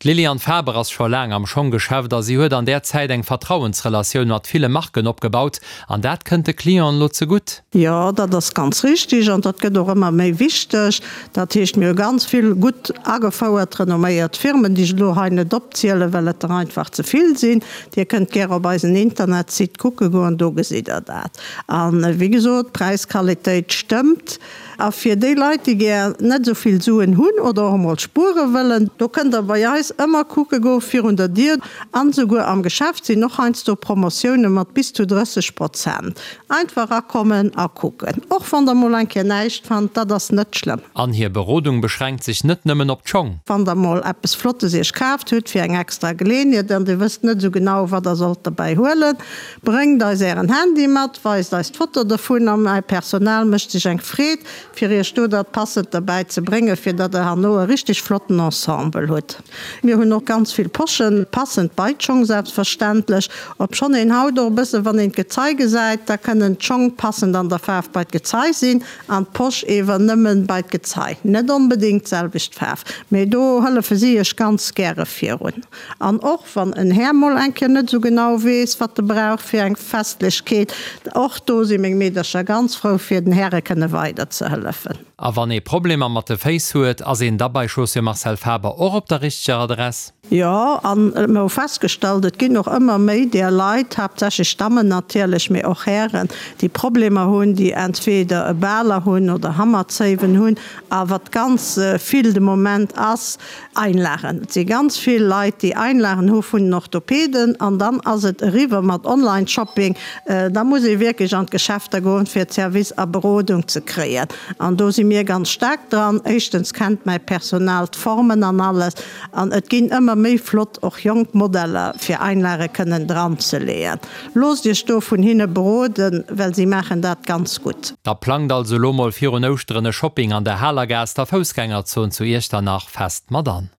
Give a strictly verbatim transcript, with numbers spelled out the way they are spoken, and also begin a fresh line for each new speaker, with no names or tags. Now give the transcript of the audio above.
D'Liliane Faber ass scho laang am Schonggeschäft a si huet an där Zäit eng Vertrauensrelatioun mat ville Marken opgebaut. An dat kënnt de Clienten elo zegutt.
Jo, dat ass ganz richteg an dat gëtt och ëmmer méi wichteg. Dat heescht, mir hu ganz vill gutt agefouert, renomméiert Firmen, déi ech elo hei net opzielen, well et der einfach ze vill sinn. Dir kënnt gär op eisen Internetsite kucke goen, do gesitt Der dat. A wéi gesot, Präis-Qualitéit stëmmt. A fir déi Leit, déi gär net esou vill Suen hunn oder och emol spuere wëllen, do kënnt Der bei eis ëmmer kucke goen, virun der Dier an esouguer am Geschäft sinn och heiansdo Promotioune mat bis zu drësseg Prozent. Einfach erakommen a kucken. Och wann Der mol eng Kéier näischt fannt, dat ass net schlëmm.
An hir Berodung beschränkt sech net nëmmen op d'Schong.
Wann Der mol eppes Flottes Iech kaaft hutt fir eng extra Geleeënheet an Dir wësst net esou genau, wat Der sollt derbäi huelen, bréngt eis Ären Handy mat, weist eis d'Foto dovun a mäi Personal mécht sech eng Freed, fir Iech do dat Passend derbäi ze bréngen, fir datt Der herno e richteg flotten Ensemble hutt. Mir hunn och ganz vill Poschen, passend bei d'Schong selbstverständlech. Obschonn een haut och e bësse wann een d'Gezei gesäit, da kënnen d'Schong passend an der Faarf bei d'Gezei sinn an d'Posch ewer nëmmen bei d'Gezei. Net onbedéngt d'selwecht Faarf, mee do hëllefe si Iech ganz gäre virun. An och wann en Här mol eng Kéier net esou genau weess, wat e brauch fir eng Festlechkeet, och do si meng Meedercher ganz frou fir den Häre kënne weider ze hëllefen.
A wann ee Problemer mat de Féiss huet, ass een da bei Chaussures Marcel Faber och op der richteger Adress?
Jo, an mer hu festgestallt, et ginn och ëmmer méi där Leit, haaptsächlech Dammen natierlech, mee och Hären, déi Problemer hunn, déi entweder e Baler hunn oder Hammerzéiwen hunn. A wat ganz vill de Moment ass, Einlagen. Et si ganz vill Leit, déi Einlagen hu vun den Orthopeden an dann ass et eriwwer mat Online-Shopping. Da muss ee wierklech an d'Geschäfter goen, fir Service a Berodung ze kréien. An do si mir ganz staark dran. Éischtens kennt mäi Personal d'Formen an alles. An et ginn ëmmer méi flott, och jonk Modeller, fir Einlage kënnen dranzeleeën. Loosst Iech do vun hinne beroden, well si maachen dat ganz gutt.
Da plangt also elo mol virun Ouschteren e Shopping an der Halergaass, der Foussgängerzon zu Iechternach, fest mat an.